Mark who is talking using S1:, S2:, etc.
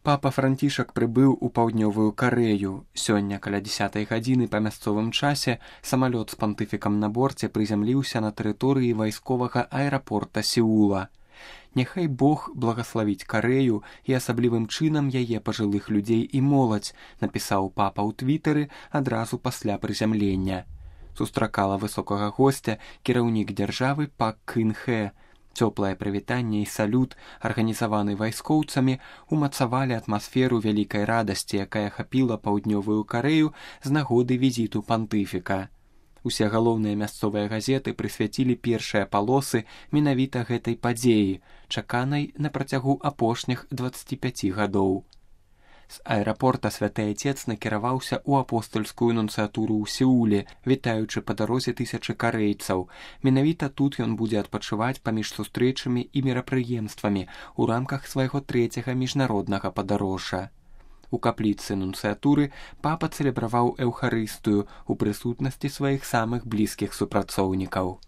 S1: Папа Францішак прыбыў у паўднёвую Карэю. Сёння каля 10 гадзіны па мясцовым часе самалёт з пантыфікам на борце прызямліўся на тэрыторыі вайсковага аэрапорта Сеула. Няхай Бог благаславіць Карэю і асаблівым чынам яе пажылых людзей і моладзь, напісаў папа ў твітары адразу пасля прызямлення. Сустракала высокага госця кіраўнік дзяржавы Пак Кын Хэ. Цёплае прывітанне і салют, арганізаваны вайскоўцамі, умацавалі атмасферу вялікай радасці, якая ахапіла паўднёвую Карэю з нагоды візіту пантыфіка. Усе галоўныя мясцовыя газеты прысвяцілі першыя палосы менавіта гэтай падзеі, чаканай на працягу апошніх 25 гадоў. З аэрапорта Святы Айцец накіраваўся ў апостальскую нунцыятуру ў Сеуле, вітаючы па дарозе тысячы карэйцаў. Менавіта тут ён будзе адпачываць паміж сустрэчамі і мерапрыемствамі ў рамках свайго 3-го міжнароднага падарожжа. У капліцы нунцыятуры папа цэлебраваў эўхарыстыю ў прысутнасці сваіх самых блізкіх супрацоўнікаў.